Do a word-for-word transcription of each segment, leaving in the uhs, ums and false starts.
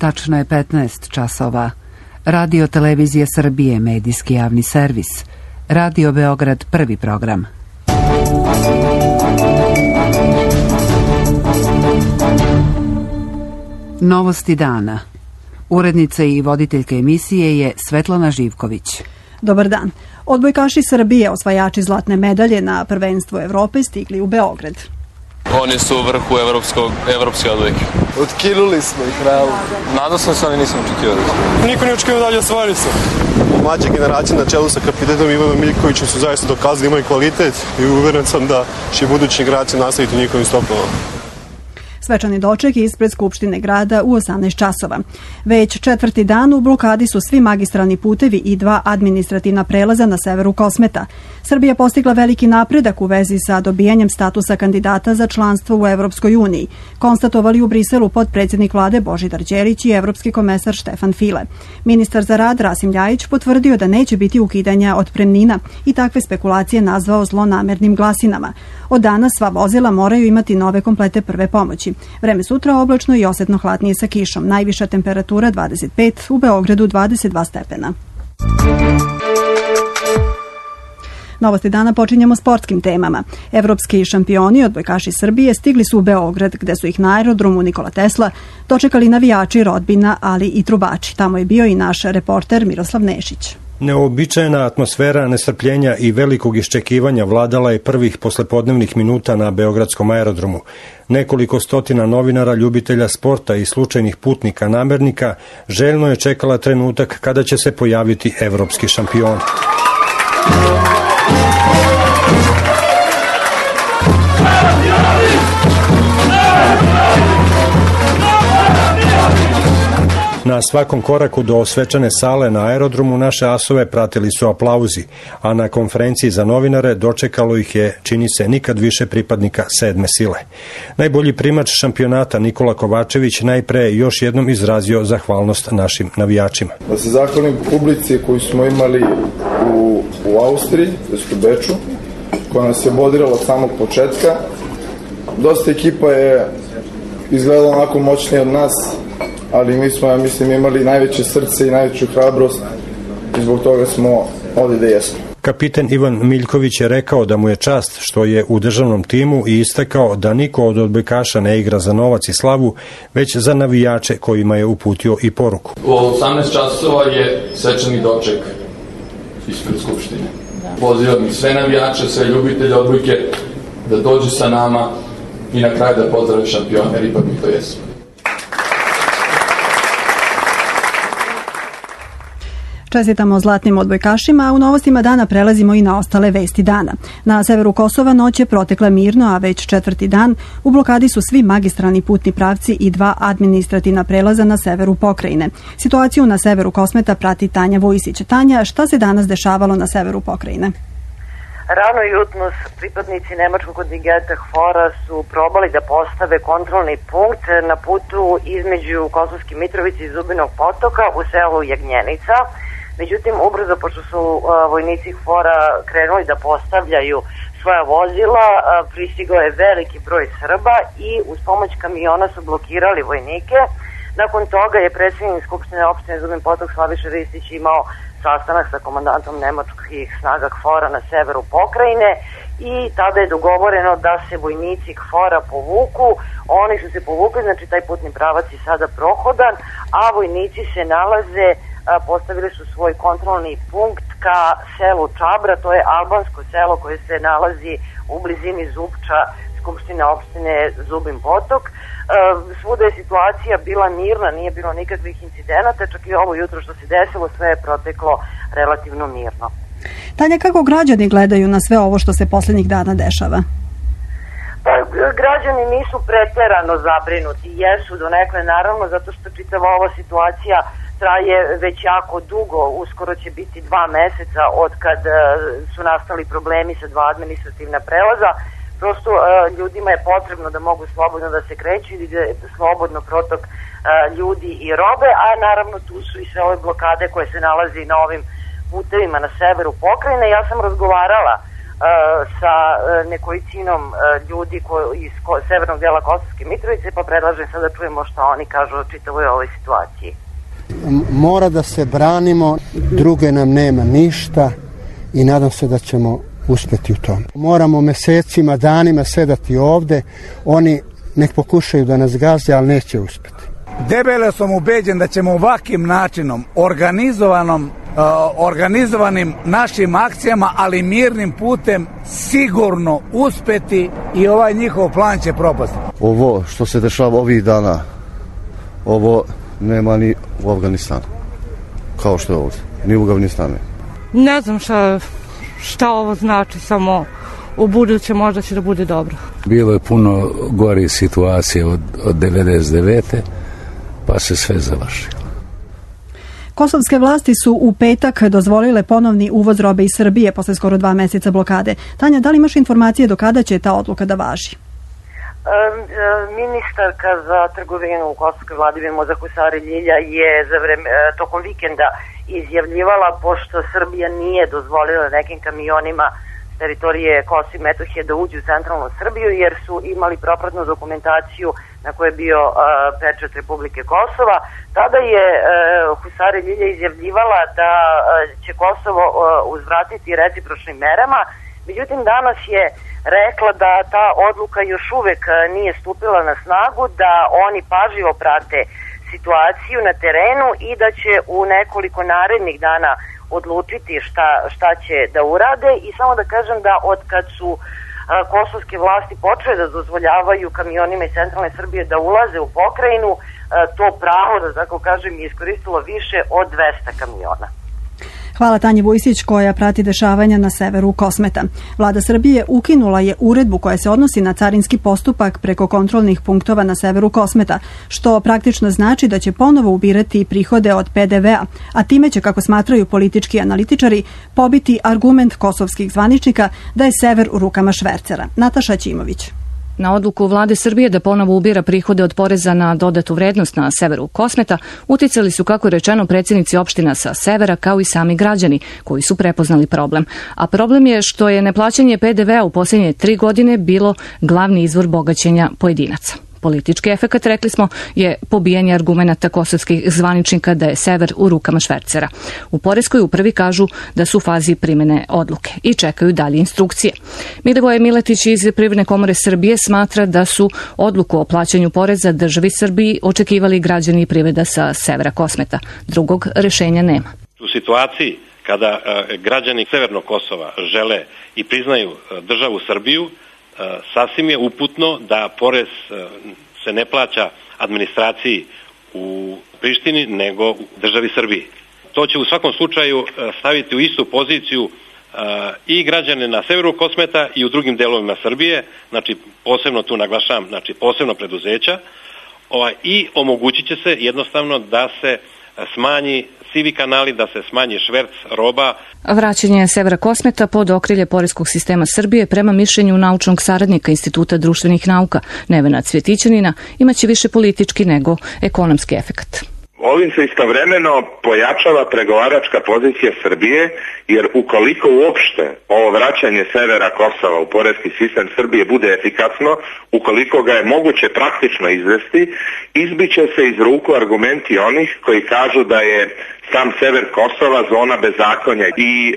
Tačno je petnaest časova. Radio Televizija Srbije, medijski javni servis. Radio Beograd, prvi program. Novosti dana. Urednica i voditeljka emisije je Svetlana Živković. Dobar dan. Odbojkaši Srbije, osvajači zlatne medalje na prvenstvu Evrope, stigli u Beograd. Oni su u vrhu evropskog, evropske odbojke. Otkinuli smo ih, realno. Nadao sam se, ali nisam očekivao. Niko nije očekivao dalje osvojili su. Mlađe generacije na čelu sa kapitenom Ivanom Miljkovićem su zaista dokazali imaju kvalitet i uveren sam da će buduće generacije nastaviti njihovim stopama. Svečani doček ispred Skupštine grada u osamnaest časova. Već četvrti dan u blokadi su svi magistralni putevi i dva administrativna prelaza na severu Kosmeta. Srbija postigla veliki napredak u vezi sa dobijanjem statusa kandidata za članstvo u Evropskoj uniji, konstatovali u Briselu potpredsjednik vlade Božidar Đelić i evropski komesar Štefan File. Ministar za rad Rasim Ljajić potvrdio da neće biti ukidanja otpremnina i takve spekulacije nazvao zlonamernim glasinama. Od danas sva vozila moraju imati nove komplete prve pomoći. Vreme sutra oblačno i osetno hladnije sa kišom. Najviša temperatura dvadeset pet, u Beogradu dvadeset dva stepena. Novosti dana počinjemo sportskim temama. Evropski šampioni, odbojkaši Srbije, stigli su u Beograd, gde su ih na aerodromu Nikola Tesla dočekali navijači, rodbina, ali i trubači. Tamo je bio i naš reporter Miroslav Nešić. Neobičajna atmosfera nestrpljenja i velikog iščekivanja vladala je prvih poslepodnevnih minuta na beogradskom aerodromu. Nekoliko stotina novinara, ljubitelja sporta i slučajnih putnika namernika željno je čekala trenutak kada će se pojaviti evropski šampion. Na svakom koraku do svečane sale na aerodromu naše asove pratili su aplauzi, a na konferenciji za novinare dočekalo ih je, čini se, nikad više pripadnika sedme sile. Najbolji primač šampionata Nikola Kovačević najpre još jednom izrazio zahvalnost našim navijačima. Da se zahvalim publici koju smo imali u, u Austriji, u Beču, koja nas je bodirala od samog početka. Dosta ekipa je izgledala onako moćnije od nas, ali mi smo, ja mislim, imali najveće srce i najveću hrabrost i zbog toga smo ovdje da jesmo. Kapiten Ivan Miljković je rekao da mu je čast što je u državnom timu i istakao da niko od odbojkaša ne igra za novac i slavu, već za navijače kojima je uputio i poruku. U osamnaest časova je svečani doček ispred Skupštine. Pozivam sve navijače, sve ljubitelje odbojke da dođu sa nama i na kraju da pozdrave šampione, jer ipak mi to jesu. Čestitamo zlatnim odbojkašima, a u novostima dana prelazimo i na ostale vesti dana. Na severu Kosova noć je protekla mirno, a već četvrti dan u blokadi su svi magistralni putni pravci i dva administrativna prelaza na severu pokrajine. Situaciju na severu Kosmeta prati Tanja Vujisić. Tanja, šta se danas dešavalo na severu pokrajine? Rano jutros pripadnici nemačkog kontingenta HFOR-a su probali da postave kontrolni punkt na putu između Kosovske Mitrovice i Zubinog Potoka u selu Jagnjenica. Međutim, ubrzo, pošto su uh, vojnici HFOR-a krenuli da postavljaju svoja vozila, uh, pristigao je veliki broj Srba i uz pomoć kamiona su blokirali vojnike. Nakon toga je predsjednik Skupštine opštine Zubin Potok Slaviša Ristić imao sastanak sa komandantom nemačkih snaga HFOR-a na severu pokrajine i tada je dogovoreno da se vojnici HFOR-a povuku. Oni su se povukli, znači taj putni pravac je sada prohodan, a vojnici se nalaze, postavili su svoj kontrolni punkt ka selu Čabra, to je albansko selo koje se nalazi u blizini Zupča, Skupštine opštine Zubin Potok. Svuda je situacija bila mirna, nije bilo nikakvih incidenata, čak i ovo jutro što se desilo, sve je proteklo relativno mirno. Tanja, kako građani gledaju na sve ovo što se posljednjih dana dešava? Pa, građani nisu preterano zabrinuti, jesu donekle naravno, zato što čitava ova situacija traje već jako dugo, uskoro će biti dva meseca od kad su nastali problemi sa dva administrativna prelaza. Prosto ljudima je potrebno da mogu slobodno da se kreću i da je slobodno protok ljudi i robe, a naravno tu su i sve ove blokade koje se nalazi na ovim putevima na severu pokrajine. Ja sam razgovarala sa nekolicinom ljudi iz severnog dela Kosovske Mitrovice, pa predlažem sada da čujemo što oni kažu o čitavoj ovoj situaciji. Mora da se branimo, druge nam nema ništa i nadam se da ćemo uspeti u tom. Moramo mesecima, danima sedati ovde, oni nek pokušaju da nas gaze, ali neće uspeti. Debelo sam ubeđen da ćemo ovakvim načinom, organizovanom, uh, organizovanim našim akcijama, ali mirnim putem, sigurno uspeti i ovaj njihov plan će propasti. Ovo što se dešava ovih dana, ovo nema ni u Afganistanu, kao što je ovdje, ni u Afganistanu. Ne znam šta, šta ovo znači, samo u buduće možda će da bude dobro. Bilo je puno gore situacije od, od devedeset devete pa se sve završilo. Kosovske vlasti su u petak dozvolile ponovni uvoz robe iz Srbije posle skoro dva meseca blokade. Tanja, da li imaš informacije do kada će ta odluka da važi? Ministarka za trgovinu u kosovskoj vladi Mimoza Husari Ljilja je za vreme, tokom vikenda izjavljivala, pošto Srbija nije dozvolila nekim kamionima s teritorije Kosova i Metohije da uđu u centralnu Srbiju, jer su imali propratnu dokumentaciju na kojoj je bio uh, pečat Republike Kosova. Tada je uh, Husari Ljilja izjavljivala da uh, će Kosovo uh, uzvratiti recipročnim merama. Međutim, danas je rekla da ta odluka još uvek uh, nije stupila na snagu, da oni pažljivo prate situaciju na terenu i da će u nekoliko narednih dana odlučiti šta, šta će da urade. I samo da kažem da od kad su a, kosovske vlasti počele da dozvoljavaju kamionima iz centralne Srbije da ulaze u pokrajinu, a, to pravo, da tako kažem, je iskoristilo više od dvesta kamiona. Hvala Tanji Vujsić koja prati dešavanja na severu Kosmeta. Vlada Srbije ukinula je uredbu koja se odnosi na carinski postupak preko kontrolnih punktova na severu Kosmeta, što praktično znači da će ponovo ubirati prihode od P D V-a, a time će, kako smatraju politički analitičari, pobiti argument kosovskih zvaničnika da je sever u rukama švercera. Nataša Ćimović. Na odluku vlade Srbije da ponovo ubira prihode od poreza na dodatu vrednost na severu Kosmeta uticali su, kako je rečeno, predsjednici opština sa severa, kao i sami građani koji su prepoznali problem. A problem je što je neplaćanje P D V-a u posljednje tri godine bilo glavni izvor bogaćenja pojedinaca. Politički efekat, rekli smo, je pobijanje argumenata kosovskih zvaničnika da je sever u rukama švercera. U poreskoj upravi kažu da su u fazi primjene odluke i čekaju dalje instrukcije. Milivoje Miletić iz Privredne komore Srbije smatra da su odluku o plaćanju poreza državi Srbiji očekivali građani i privreda sa severa Kosmeta. Drugog rešenja nema. U situaciji kada e, građani Severnog Kosova žele i priznaju e, državu Srbiju, sasvim je uputno da porez se ne plaća administraciji u Prištini nego u državi Srbiji. To će u svakom slučaju staviti u istu poziciju i građane na severu Kosmeta i u drugim delovima Srbije, znači posebno tu naglašavam, znači posebno preduzeća, i omogućit će se jednostavno da se smanji sivi kanali, da se smanji šverc roba. Vraćanje severa Kosmeta pod okrilje poreskog sistema Srbije prema mišljenju naučnog saradnika Instituta društvenih nauka Nevena Cvjetićanina imaće više politički nego ekonomski efekat. Ovim se istovremeno pojačava pregovaračka pozicija Srbije, jer ukoliko uopšte ovo vraćanje severa Kosova u poreski sistem Srbije bude efikasno, ukoliko ga je moguće praktično izvesti, izbiće se iz ruku argumenti onih koji kažu da je sam sever Kosova zona bezakonja i e,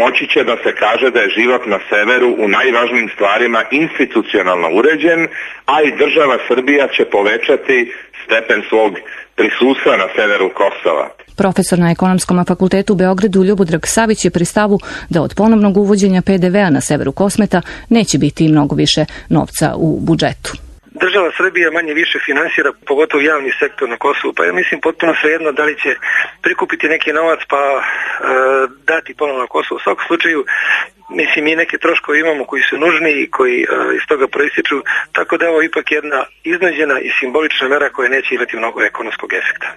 moći će da se kaže da je život na severu u najvažnijim stvarima institucionalno uređen, a i država Srbija će povećati stepen svog prisustva na severu Kosova. Profesor na Ekonomskom fakultetu u Beogradu Ljubodrag Savić je pri stavu da od ponovnog uvođenja P D V-a na severu Kosmeta neće biti mnogo više novca u budžetu. Država Srbija manje više finansira, pogotovo javni sektor na Kosovu, pa ja mislim potpuno svejedno da li će prikupiti neki novac pa e, dati ponovno na Kosovu. U svakom slučaju, mislim, mi neke troškove imamo koji su nužni i koji e, iz toga proističu, tako da je ovo ipak jedna iznuđena i simbolična mera koja neće imati mnogo ekonomskog efekta.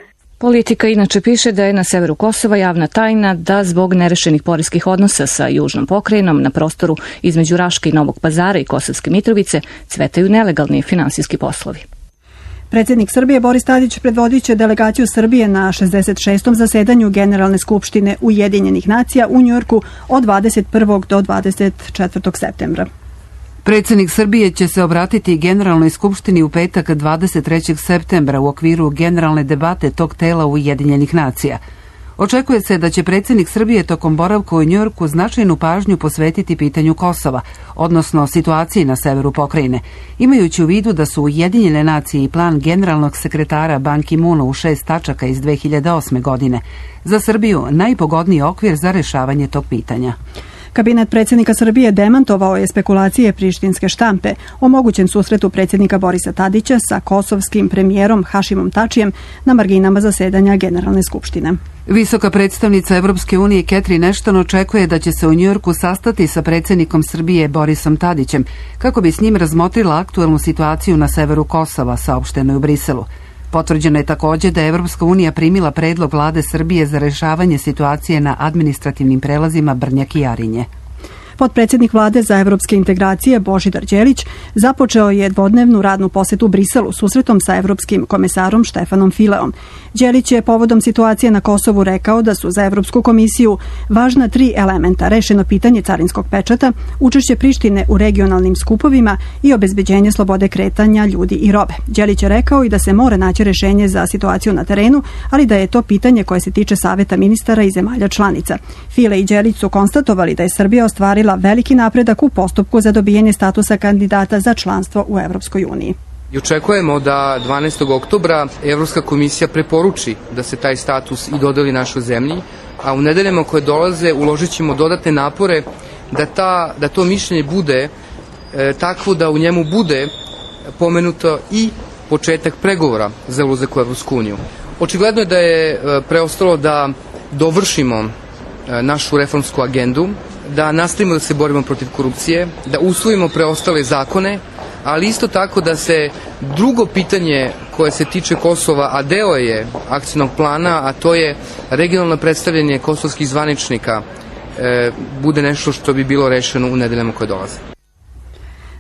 Politika inače piše da je na severu Kosova javna tajna da zbog nerešenih poreskih odnosa sa južnom pokrajinom na prostoru između Raške i Novog Pazara i Kosovske Mitrovice cvetaju nelegalni finansijski poslovi. Predsjednik Srbije Boris Tadić predvodit će delegaciju Srbije na šezdeset šestom zasedanju Generalne skupštine Ujedinjenih nacija u Njujorku od dvadeset prvog do dvadeset četvrtog septembra. Predsjednik Srbije će se obratiti Generalnoj skupštini u petak dvadeset trećeg septembra u okviru generalne debate tog tela Ujedinjenih nacija. Očekuje se da će predsjednik Srbije tokom boravka u Njujorku značajnu pažnju posvetiti pitanju Kosova, odnosno situaciji na severu pokrajine, imajući u vidu da su Ujedinjene nacije i plan generalnog sekretara Ban Ki-moona u šest tačaka iz dve hiljade osme godine za Srbiju najpogodniji okvir za rešavanje tog pitanja. Kabinet predsjednika Srbije demantovao je spekulacije prištinske štampe o mogućem susretu predsjednika Borisa Tadića sa kosovskim premijerom Hašimom Tačijem na marginama zasedanja Generalne skupštine. Visoka predstavnica Evropske unije Catherine Ashton očekuje da će se u Njujorku sastati sa predsjednikom Srbije Borisom Tadićem kako bi s njim razmotrila aktuelnu situaciju na severu Kosova, saopšteno je u Briselu. Potvrđeno je također da je Evropska unija primila predlog vlade Srbije za rešavanje situacije na administrativnim prelazima Brnjak i Jarinje. Potpredsjednik vlade za evropske integracije Božidar Đelić započeo je dvodnevnu radnu posetu Briselu susretom sa evropskim komesarom Štefanom Fileom. Đelić je povodom situacije na Kosovu rekao da su za Evropsku komisiju važna tri elementa: rešeno pitanje carinskog pečata, učešće Prištine u regionalnim skupovima i obezbeđenje slobode kretanja ljudi i robe. Đelić je rekao i da se mora naći rešenje za situaciju na terenu, ali da je to pitanje koje se tiče saveta ministara i zemalja članica. File i Đelić su konstatovali da je Srbija ostvarila veliki napredak u postupku za dobijanje statusa kandidata za članstvo u Evropskoj uniji. I očekujemo da dvanaestog oktobra Evropska komisija preporuči da se taj status i dodeli našoj zemlji, a u nedeljama koje dolaze uložit ćemo dodatne napore da, ta, da to mišljenje bude e, takvo da u njemu bude pomenuto i početak pregovora za ulazak u Evropsku uniju. Očigledno je da je e, preostalo da dovršimo e, našu reformsku agendu, da nastavimo da se borimo protiv korupcije, da usvojimo preostale zakone, ali isto tako da se drugo pitanje koje se tiče Kosova, a deo je akcijnog plana, a to je regionalno predstavljanje kosovskih zvaničnika, e, bude nešto što bi bilo rešeno u nedeljama koje dolaze.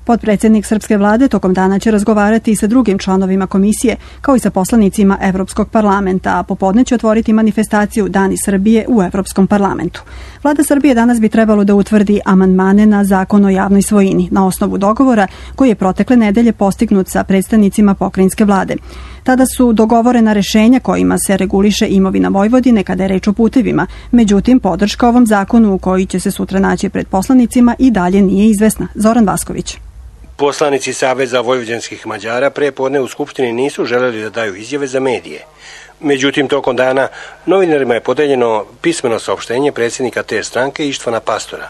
Potpredsjednik srpske vlade tokom dana će razgovarati i sa drugim članovima komisije, kao i sa poslanicima Evropskog parlamenta, a popodne će otvoriti manifestaciju Dani Srbije u Evropskom parlamentu. Vlada Srbije danas bi trebalo da utvrdi amandmane na zakon o javnoj svojini, na osnovu dogovora koji je protekle nedelje postignut sa predstavnicima pokrajinske vlade. Tada su dogovorena rešenja kojima se reguliše imovina Vojvodine kada je reč o putevima. Međutim, podrška ovom zakonu u koji će se sutra naći pred poslanicima i dalje nije izvesna. Zoran Vasković. Poslanici Saveza vojvođanskih Mađara pre podne u Skupštini nisu želeli da daju izjave za medije. Međutim, tokom dana novinarima je podeljeno pismeno saopštenje predsjednika te stranke Ištvana Pastora.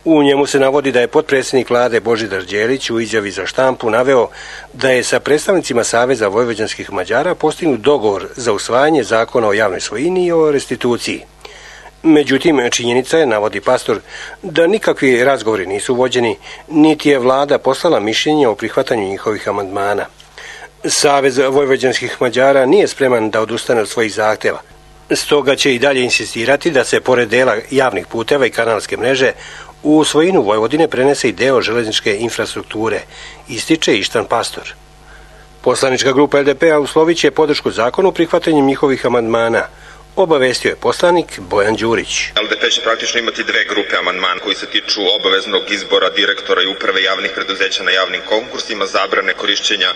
U njemu se navodi da je potpredsjednik vlade Božidar Đelić u izjavi za štampu naveo da je sa predstavnicima Saveza vojvođanskih Mađara postignut dogovor za usvajanje zakona o javnoj svojini i o restituciji. Međutim, činjenica je, navodi Pastor, da nikakvi razgovori nisu vođeni, niti je vlada poslala mišljenje o prihvatanju njihovih amandmana. Savez vojvođanskih Mađara nije spreman da odustane od svojih zahteva. Stoga će i dalje insistirati da se pored dela javnih puteva i kanalske mreže u svojinu Vojvodine prenese i deo železničke infrastrukture, ističe Ištvan Pastor. Poslanička grupa L D P-a uslovit će podršku zakonu prihvatanjem njihovih amandmana, obavestio je poslanik Bojan Đurić. L D P će praktično imati dve grupe amandmana koji se tiču obaveznog izbora direktora i uprave javnih preduzeća na javnim konkursima, zabrane korišćenja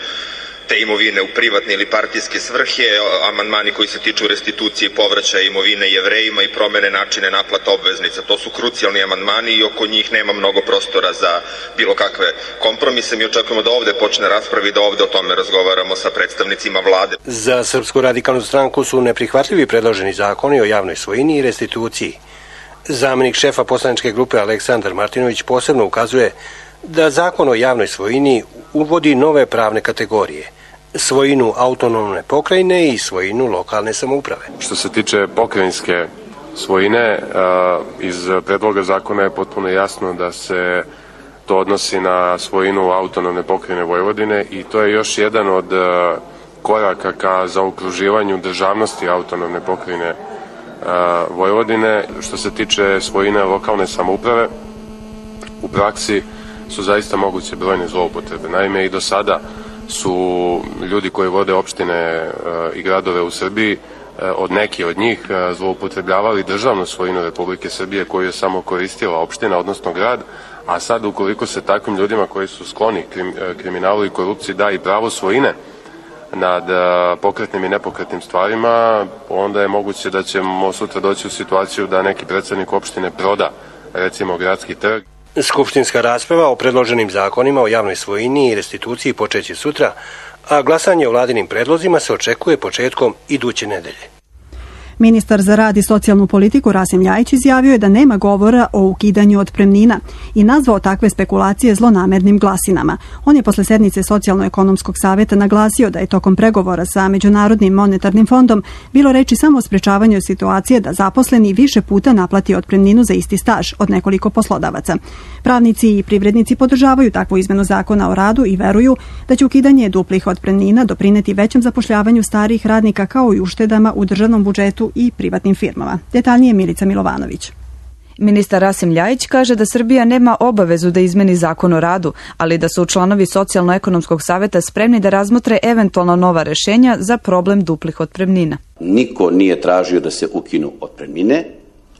te imovine u privatne ili partijske svrhe, amandmani koji se tiču restitucije i povraćaja imovine Jevrejima i promene načine naplata obveznica. To su krucijalni amandmani i oko njih nema mnogo prostora za bilo kakve kompromise. Mi očekujemo da ovde počne rasprava i da ovde o tome razgovaramo sa predstavnicima vlade. Za Srpsku radikalnu stranku su neprihvatljivi predloženi zakoni o javnoj svojini i restituciji. Zamenik šefa poslaničke grupe Aleksandar Martinović posebno ukazuje da zakon o javnoj svojini uvodi nove pravne kategorije, svojinu autonomne pokrajine i svojinu lokalne samouprave. Što se tiče pokrajinske svojine, iz predloga zakona je potpuno jasno da se to odnosi na svojinu autonomne pokrajine Vojvodine i to je još jedan od koraka ka zaokruživanju državnosti autonomne pokrajine Vojvodine. Što se tiče svojine lokalne samouprave, u praksi su zaista moguće brojne zloupotrebe. Naime, i do sada su ljudi koji vode opštine i gradove u Srbiji, od neki od njih zloupotrebljavali državnu svojinu Republike Srbije koju je samo koristila opština, odnosno grad, a sad ukoliko se takvim ljudima koji su skloni krim, kriminalu i korupciji da i pravo svojine nad pokretnim i nepokretnim stvarima, onda je moguće da ćemo sutra doći u situaciju da neki predsednik opštine proda, recimo, gradski trg. Skupštinska rasprava o predloženim zakonima o javnoj svojini i restituciji počeće sutra, a glasanje o vladinim predlozima se očekuje početkom iduće nedelje. Ministar za rad i socijalnu politiku Rasim Ljajić izjavio je da nema govora o ukidanju otpremnina i nazvao takve spekulacije zlonamernim glasinama. On je posle sednice Socijalno-ekonomskog saveta naglasio da je tokom pregovora sa Međunarodnim monetarnim fondom bilo reči samo o sprečavanju situacije da zaposleni više puta naplati otpremninu za isti staž od nekoliko poslodavaca. Pravnici i privrednici podržavaju takvu izmenu zakona o radu i veruju da će ukidanje duplih otpremnina doprineti većem zapošljavanju starijih radnika kao i uštedama u državnom budžetu i privatnim firmama. Detaljnije Milica Milovanović. Ministar Rasim Ljajić kaže da Srbija nema obavezu da izmeni zakon o radu, ali da su članovi Socijalno-ekonomskog saveta spremni da razmotre eventualno nova rešenja za problem duplih otpremnina. Niko nije tražio da se ukinu otpremnine,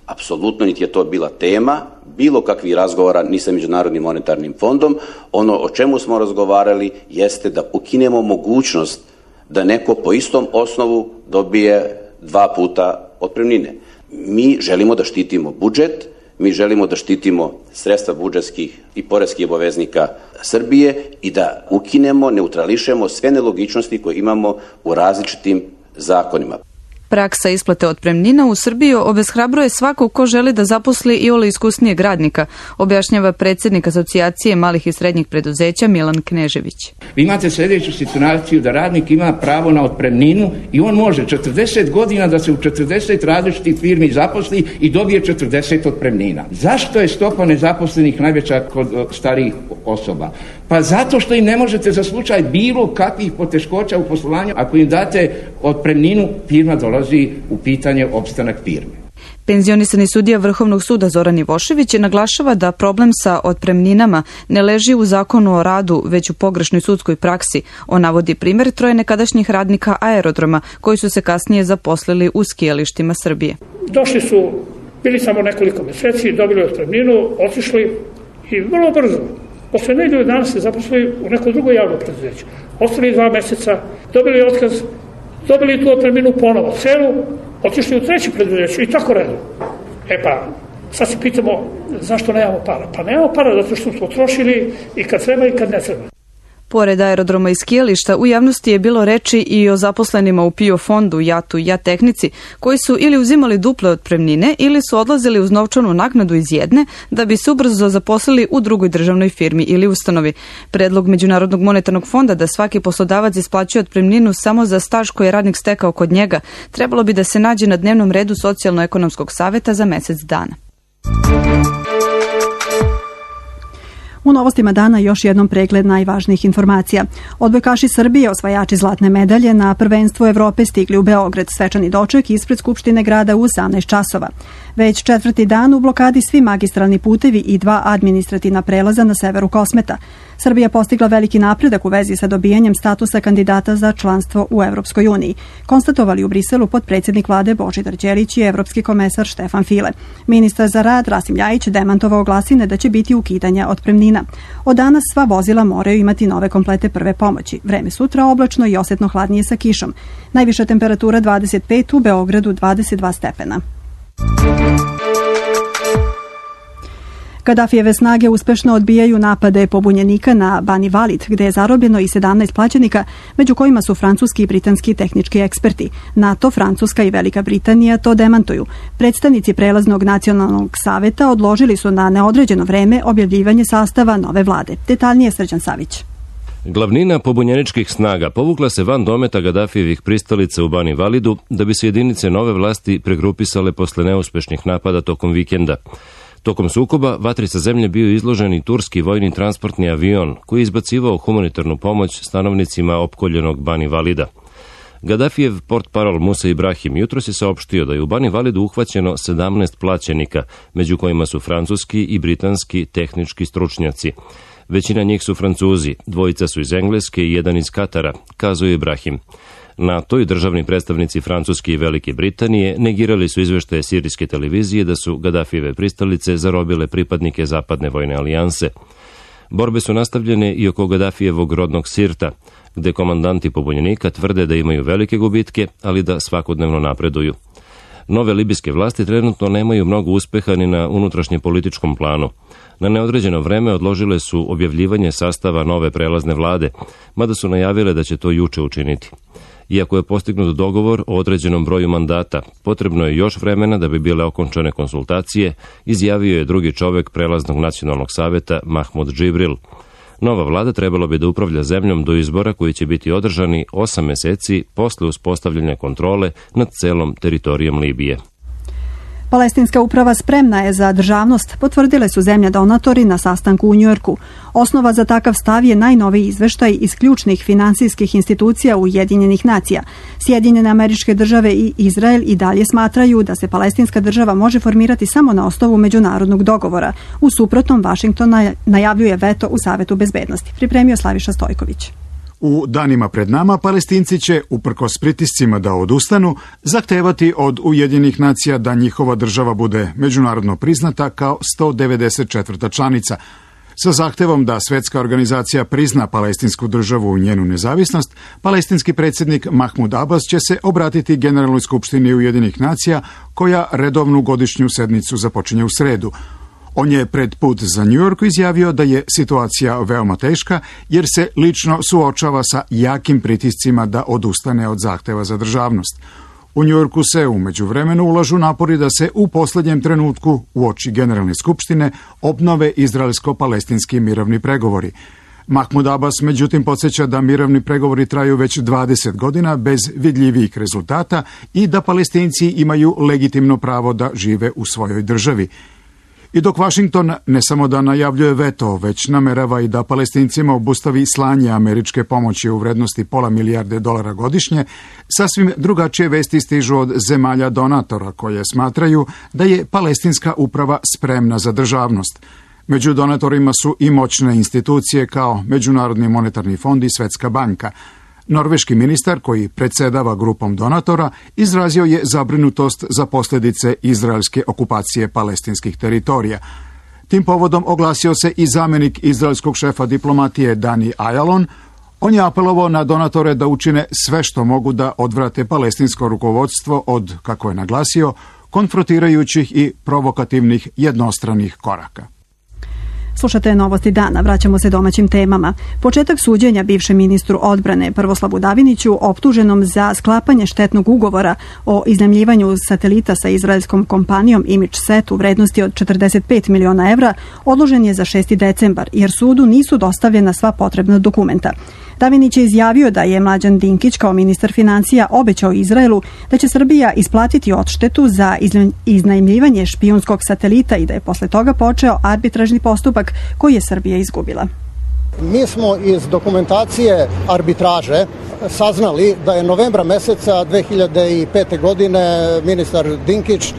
apsolutno niti je to bila tema, bilo kakvih razgovora ni sa Međunarodnim monetarnim fondom. Ono o čemu smo razgovarali jeste da ukinemo mogućnost da neko po istom osnovu dobije dva puta otpremnine. Mi želimo da štitimo budžet, mi želimo da štitimo sredstva budžetskih i poreskih obaveznika Srbije i da ukinemo, neutrališemo sve nelogičnosti koje imamo u različitim zakonima. Praksa isplate otpremnina u Srbiji obeshrabruje svako ko želi da zaposli iole iskusnijeg radnika, objašnjava predsjednik Asocijacije malih i srednjih preduzeća Milan Knežević. Vi imate sljedeću situaciju da radnik ima pravo na otpremninu i on može četrdeset godina da se u četrdeset različitih firmi zaposli i dobije četrdeset otpremnina. Zašto je stopa nezaposlenih najveća kod starijih osoba? Pa zato što im ne možete za slučaj bilo kakvih poteškoća u poslovanju, ako im date otpremninu, firma dolazi u pitanje opstanak firme. Penzionisani sudija Vrhovnog suda Zoran Ivošević naglašava da problem sa otpremninama ne leži u zakonu o radu, već u pogrešnoj sudskoj praksi. On navodi primjer troje nekadašnjih radnika aerodroma koji su se kasnije zaposlili u skijalištima Srbije. Došli su, bili samo nekoliko meseci, dobili otpremninu, otišli i vrlo brzo, posle nedelju dana se zaposlili u neko drugo javno preduzeće. Ostali dva meseca, dobili otkaz, dobili tu otpremninu ponovo, celu, otišli u treće preduzeće i tako redom. E pa, sad se pitamo zašto nemamo para. Pa nemamo para zato što smo trošili i kad treba i kad ne treba. Pored aerodroma i skijališta, u javnosti je bilo reči i o zaposlenima u P I O fondu, JAT-u i JAT tehnici, koji su ili uzimali duple otpremnine ili su odlazili uz novčanu naknadu iz jedne da bi se ubrzo zaposlili u drugoj državnoj firmi ili ustanovi. Predlog Međunarodnog monetarnog fonda da svaki poslodavac isplaćuje otpremninu samo za staž koji je radnik stekao kod njega, trebalo bi da se nađe na dnevnom redu Socijalno-ekonomskog saveta za mesec dana. U novostima dana još jednom pregled najvažnijih informacija. Odbojkaši Srbije, osvajači zlatne medalje na prvenstvu Evrope stigli u Beograd, svečani doček ispred Skupštine grada u osamnaest časova. Već četvrti dan u blokadi svi magistralni putevi i dva administrativna prelaza na severu Kosmeta. Srbija postigla veliki napredak u vezi sa dobijanjem statusa kandidata za članstvo u Evropskoj uniji, konstatovali u Briselu potpredsjednik vlade Božidar Đelić i evropski komesar Štefan File. Ministar za rad Rasim Ljajić demantovao glasine da će biti ukidanja otpremnina. Od danas sva vozila moraju imati nove komplete prve pomoći. Vreme sutra oblačno i osjetno hladnije sa kišom. Najviša temperatura dvadeset pet, u Beogradu dvadeset dva stepena. Kadafijeve snage uspešno odbijaju napade pobunjenika na Bani Valid, gde je zarobljeno i sedamnaest plaćenika, među kojima su francuski i britanski tehnički eksperti. NATO, Francuska i Velika Britanija to demantuju. Predstavnici Prelaznog nacionalnog saveta odložili su na neodređeno vreme objavljivanje sastava nove vlade. Detaljnije Srđan Savić. Glavnina pobunjeničkih snaga povukla se van dometa Gadafijevih pristalica u Bani Validu da bi se jedinice nove vlasti pregrupisale posle neuspešnih napada tokom vikenda. Tokom sukoba vatri sa zemlje bio izložen i turski vojni transportni avion koji je izbacivao humanitarnu pomoć stanovnicima opkoljenog Bani Valida. Gadafijev portparol Musa Ibrahim jutros je saopštio da je u Bani Validu uhvaćeno sedamnaest plaćenika, među kojima su francuski i britanski tehnički stručnjaci. Većina njih su Francuzi, dvojica su iz Engleske i jedan iz Katara, kazuje Ibrahim. NATO i državni predstavnici Francuske i Velike Britanije negirali su izveštaje sirijske televizije da su Gadafijeve pristalice zarobile pripadnike zapadne vojne alijanse. Borbe su nastavljene i oko Gadafijevog rodnog Sirta, gde komandanti pobunjenika tvrde da imaju velike gubitke, ali da svakodnevno napreduju. Nove libijske vlasti trenutno nemaju mnogo uspeha ni na unutrašnjem političkom planu. Na neodređeno vreme odložile su objavljivanje sastava nove prelazne vlade, mada su najavile da će to juče učiniti. Iako je postignut dogovor o određenom broju mandata, potrebno je još vremena da bi bile okončane konsultacije, izjavio je drugi čovek prelaznog nacionalnog saveta Mahmud Džibril. Nova vlada trebalo bi da upravlja zemljom do izbora koji će biti održani osam meseci posle uspostavljanja kontrole nad celom teritorijom Libije. Palestinska uprava spremna je za državnost, potvrdile su zemlje donatori na sastanku u Njujorku. Osnova za takav stav je najnoviji izveštaj iz ključnih finansijskih institucija Ujedinjenih nacija. Sjedinjene Američke Države i Izrael i dalje smatraju da se palestinska država može formirati samo na osnovu međunarodnog dogovora. U suprotnom, Vašington najavljuje veto u Savetu bezbednosti. Pripremio Slaviša Stojković. U danima pred nama Palestinci će, uprkos pritiscima da odustanu, zahtevati od Ujedinjenih nacija da njihova država bude međunarodno priznata kao sto devedeset četvrta članica. Sa zahtevom da Svetska organizacija prizna palestinsku državu i njenu nezavisnost, palestinski predsjednik Mahmud Abbas će se obratiti Generalnoj skupštini Ujedinjenih nacija, koja redovnu godišnju sednicu započinje u sredu. On je pred put za New York izjavio da je situacija veoma teška jer se lično suočava sa jakim pritiscima da odustane od zahteva za državnost. U New Yorku se u međuvremenu ulažu napori da se u posljednjem trenutku uoči Generalne skupštine obnove izraelsko-palestinski mirovni pregovori. Mahmud Abbas međutim podsjeća da mirovni pregovori traju već dvadeset godina bez vidljivih rezultata i da Palestinci imaju legitimno pravo da žive u svojoj državi. I dok Vašington ne samo da najavljuje veto, već namerava i da Palestincima obustavi slanje američke pomoći u vrednosti pola milijarde dolara godišnje, sasvim drugačije vesti stižu od zemalja donatora koje smatraju da je palestinska uprava spremna za državnost. Među donatorima su i moćne institucije kao Međunarodni monetarni fond i Svetska banka. Norveški ministar, koji predsjedava grupom donatora, izrazio je zabrinutost za posljedice izraelske okupacije palestinskih teritorija. Tim povodom oglasio se i zamjenik izraelskog šefa diplomatije Dani Ayalon. On je apelovao na donatore da učine sve što mogu da odvrate palestinsko rukovodstvo od, kako je naglasio, konfrontirajućih i provokativnih jednostranih koraka. Slušate novosti dana, vraćamo se domaćim temama. Početak suđenja bivšem ministru odbrane Prvoslavu Daviniću, optuženom za sklapanje štetnog ugovora o iznajmljivanju satelita sa izraelskom kompanijom ImageSat u vrednosti od četrdeset pet miliona evra, odložen je za šesti decembar, jer sudu nisu dostavljena sva potrebna dokumenta. Davinić je izjavio da je Mlađan Dinkić kao ministar financija obećao Izraelu da će Srbija isplatiti odštetu za iznajmljivanje špijunskog satelita i da je posle toga počeo arbitražni postupak koji je Srbija izgubila. Mi smo iz dokumentacije arbitraže saznali da je novembra meseca dve hiljade pete. godine ministar Dinkić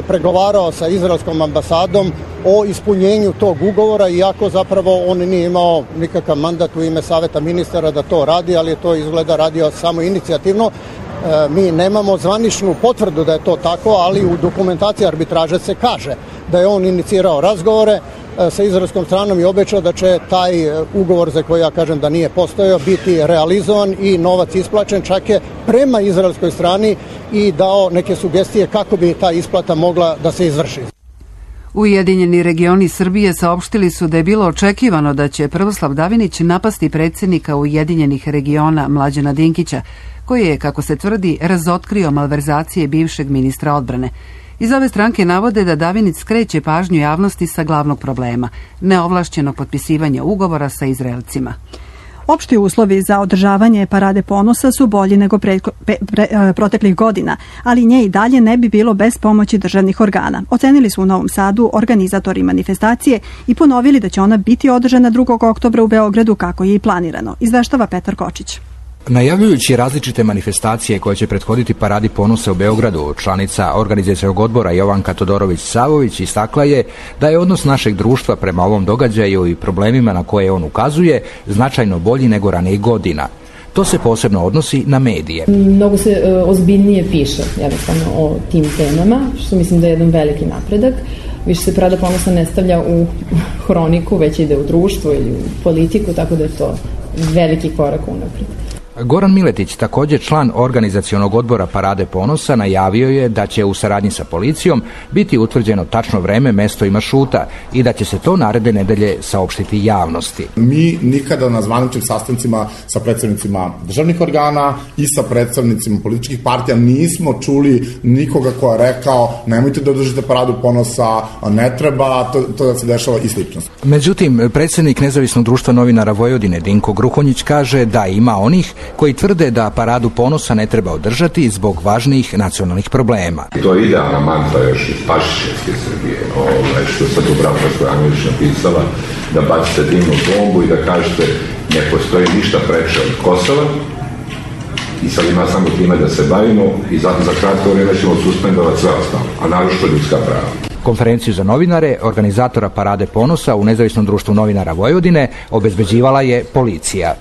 pregovarao sa izraelskom ambasadom o ispunjenju tog ugovora, iako zapravo on nije imao nikakav mandat u ime Saveta ministara da to radi, ali je to izgleda radio samo inicijativno. Mi nemamo zvaničnu potvrdu da je to tako, ali u dokumentaciji arbitraže se kaže da je on inicirao razgovore sa izraelskom stranom i obećao da će taj ugovor, za koji ja kažem da nije postojao, biti realizovan i novac isplaćen, čak je prema izraelskoj strani i dao neke sugestije kako bi ta isplata mogla da se izvrši. Ujedinjeni regioni Srbije saopštili su da je bilo očekivano da će Prvoslav Davinić napasti predsjednika Ujedinjenih regiona Mlađana Dinkića, koji je, kako se tvrdi, razotkrio malverzacije bivšeg ministra odbrane. Iz ove stranke navode da Davinić skreće pažnju javnosti sa glavnog problema, neovlašćenog potpisivanja ugovora sa Izraelcima. Opšti uslovi za održavanje Parade ponosa su bolji nego pre, pre, pre, proteklih godina, ali nje i dalje ne bi bilo bez pomoći državnih organa. Ocenili su u Novom Sadu organizatori manifestacije i ponovili da će ona biti održana drugog oktobra u Beogradu kako je i planirano, izveštava Petar Kočić. Najavljujući različite manifestacije koje će prethoditi Paradi ponosa u Beogradu, članica organizacionog odbora Jovanka Todorović-Savović istakla je da je odnos našeg društva prema ovom događaju i problemima na koje on ukazuje značajno bolji nego ranijih godina. To se posebno odnosi na medije. Mnogo se e, ozbiljnije piše jednostavno o tim temama, što mislim da je jedan veliki napredak. Više se Parada ponosa ne stavlja u hroniku, već ide u društvo ili u politiku, tako da je to veliki korak unaprijed. Goran Miletić, također član organizacionog odbora Parade ponosa, najavio je da će u saradnji sa policijom biti utvrđeno tačno vreme, mesto i maršruta i da će se to naredne nedelje saopštiti javnosti. Mi nikada na zvaničnim sastancima sa predstavnicima državnih organa i sa predstavnicima političkih partija nismo čuli nikoga ko je rekao nemojte da održite Paradu ponosa, ne treba to, to da se dešava i slično. Međutim, predsjednik Nezavisnog društva novinara Vojvodine Dinko Gruhonjić kaže da ima onih koji tvrde da Paradu ponosa ne treba održati zbog važnijih nacionalnih problema. To je idealna mantra još iz Pašićevske Srbije, ovaj, što sad Dubravka Stojanović napisala, da bacite dimnu bombu i da kažete ne postoji ništa preče od Kosova i sad ima samo time da se bavimo i za, za kratko vrijeme ćemo suspendovati sve ostalo, a naročito ljudska prava. Konferenciju za novinare, organizatora Parade ponosa u Nezavisnom društvu novinara Vojvodine, obezbeđivala je policija.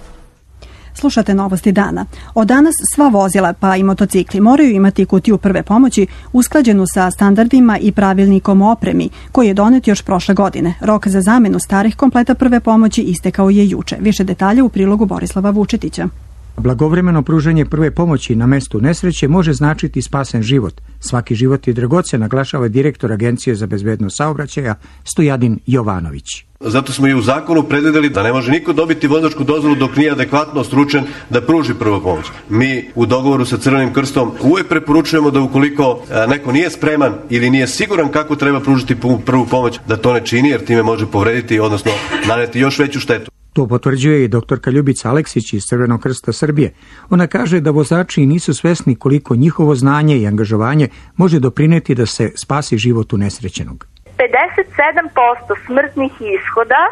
Slušate novosti dana. Od danas sva vozila, pa i motocikli, moraju imati kutiju prve pomoći usklađenu sa standardima i pravilnikom o opremi, koji je donet još prošle godine. Rok za zamenu starih kompleta prve pomoći istekao je juče. Više detalja u prilogu Borislava Vučetića. Blagovremeno pružanje prve pomoći na mestu nesreće može značiti spasen život. Svaki život je dragocen, naglašava direktor Agencije za bezbednost saobraćaja Stojadin Jovanović. Zato smo i u zakonu predvideli da ne može niko dobiti vozačku dozvolu dok nije adekvatno stručan da pruži prvu pomoć. Mi u dogovoru sa Crvenim krstom uvek preporučujemo da ukoliko neko nije spreman ili nije siguran kako treba pružiti prvu pomoć, da to ne čini jer time može povrediti, odnosno naneti još veću štetu. To potvrđuje i doktorka Ljubica Aleksić iz Crvenog krsta Srbije. Ona kaže da vozači nisu svesni koliko njihovo znanje i angažovanje može doprineti da se spasi život unesrećenog. pedeset sedam posto smrtnih ishoda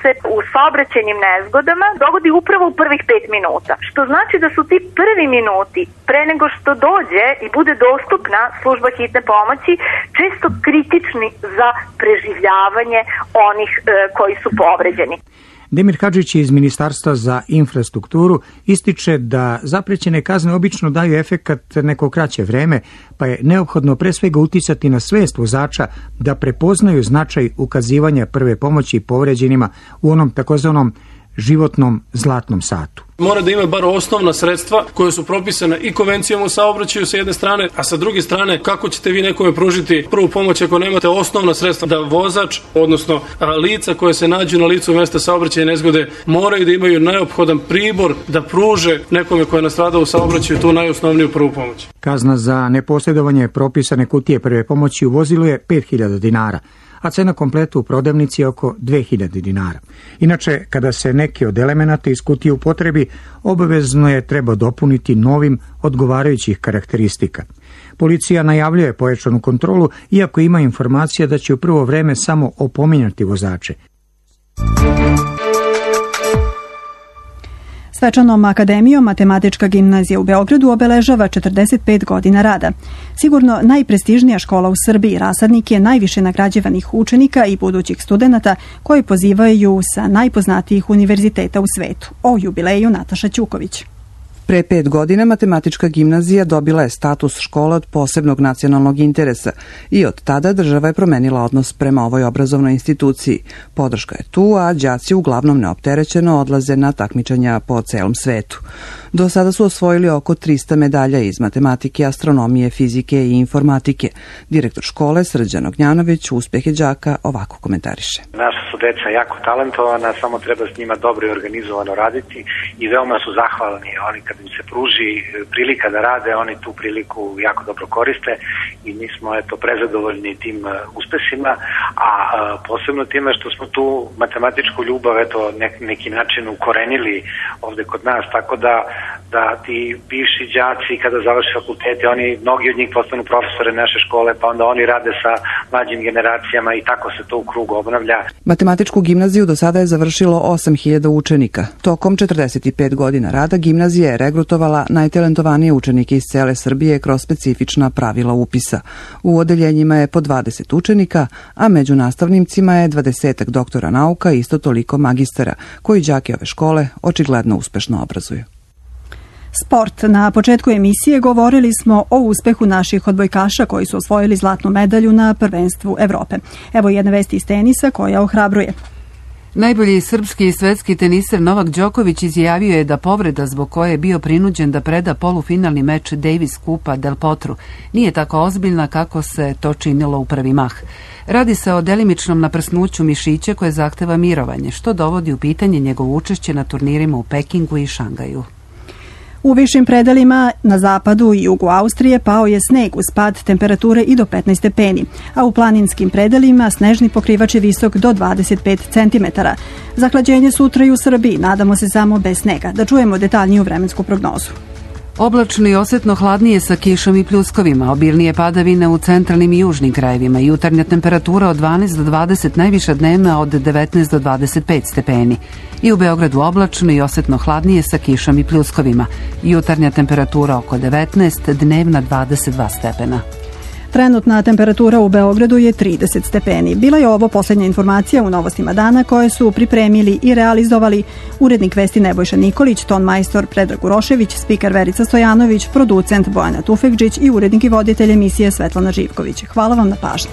se u saobraćajnim nezgodama dogodi upravo u prvih pet minuta. Što znači da su ti prvi minuti pre nego što dođe i bude dostupna služba hitne pomoći često kritični za preživljavanje onih e, koji su povređeni. Demir Hadžić iz Ministarstva za infrastrukturu ističe da zaprećene kazne obično daju efekat neko kraće vreme, pa je neophodno pre svega uticati na svest vozača da prepoznaju značaj ukazivanja prve pomoći povređenima u onom takozvanom životnom zlatnom satu. Mora da ima bar osnovna sredstva koje su propisane i konvencijom o saobraćaju sa jedne strane, a sa druge strane kako ćete vi nekome pružiti prvu pomoć ako nemate osnovna sredstva, da vozač, odnosno lica koje se nađu na licu mesta saobraćaja nezgode moraju da imaju neophodan pribor da pruže nekome ko je nastradao u saobraćaju tu najosnovniju prvu pomoć. Kazna za neposjedovanje propisane kutije prve pomoći u vozilu je pet hiljada dinara, a cena kompletu u prodavnici je oko dve hiljade dinara. Inače, kada se neki od elemenata iz kutije upotrebi, obavezno je treba dopuniti novim odgovarajućih karakteristika. Policija najavljuje pojačanu kontrolu, iako ima informacija da će u prvo vreme samo opominjati vozače. Svečanom akademijom Matematička gimnazija u Beogradu obeležava četrdeset pet godina rada. Sigurno najprestižnija škola u Srbiji, rasadnik je najviše nagrađivanih učenika i budućih studenata koji pozivaju sa najpoznatijih univerziteta u svetu. O jubileju Nataša Ćuković. Pre pet godina Matematička gimnazija dobila je status škole od posebnog nacionalnog interesa i od tada država je promenila odnos prema ovoj obrazovnoj instituciji. Podrška je tu, a đaci uglavnom neopterećeno odlaze na takmičenja po celom svetu. Do sada su osvojili oko trista medalja iz matematike, astronomije, fizike i informatike. Direktor škole Srđan Ognjanović uspehe đaka ovako komentariše. Naša su deca jako talentovana, samo treba s njima dobro i organizovano raditi i veoma su zahvalni. Oni kad im se pruži prilika da rade, oni tu priliku jako dobro koriste i mi smo eto prezadovoljni tim uspesima, a posebno time što smo tu matematičku ljubav eto nek, neki način ukorenili ovde kod nas, tako da da ti bivši đaci kada završe fakultete, oni, mnogi od njih postanu profesore naše škole, pa onda oni rade sa mlađim generacijama i tako se to u krugu obnavlja. Matematičku gimnaziju do sada je završilo osam hiljada učenika. Tokom četrdeset pet godina rada gimnazija je regrutovala najtalentovanije učenike iz cele Srbije kroz specifična pravila upisa. U odeljenjima je po dvadeset učenika, a među nastavnicima je dvadesetak doktora nauka i isto toliko magistara, koji đake ove škole očigledno uspešno obrazuju. Sport. Na početku emisije govorili smo o uspehu naših odbojkaša koji su osvojili zlatnu medalju na prvenstvu Evrope. Evo jedne vesti iz tenisa koja ohrabruje. Najbolji srpski i svetski teniser Novak Đoković izjavio je da povreda zbog koje je bio prinuđen da preda polufinalni meč Davis Kupa Del Potru nije tako ozbiljna kako se to činilo u prvi mah. Radi se o delimičnom naprsnuću mišića koje zahteva mirovanje, što dovodi u pitanje njegovo učešće na turnirima u Pekingu i Šangaju. U višim predelima na zapadu i jugu Austrije pao je sneg uz pad temperature i do petnaest stepeni, a u planinskim predelima snežni pokrivač je visok do dvadeset pet centimetara. Zahlađenje sutra i u Srbiji, nadamo se samo bez snega. Da čujemo detaljniju vremensku prognozu. Oblačno i osetno hladnije sa kišom i pljuskovima, obilnije padavine u centralnim i južnim krajevima, jutarnja temperatura od dvanaest do dvadeset, najviša dnevna od devetnaest do dvadeset pet stepeni. I u Beogradu oblačno i osetno hladnije sa kišom i pljuskovima, jutarnja temperatura oko devetnaest, dnevna dvadeset dva stepena. Trenutna temperatura u Beogradu je trideset stepeni. Bila je ovo posljednja informacija u Novostima dana koje su pripremili i realizovali urednik vesti Nebojša Nikolić, ton majstor Predrag Urošević, spiker Verica Stojanović, producent Bojana Tufekđić i urednik i voditelj emisije Svetlana Živković. Hvala vam na pažnji.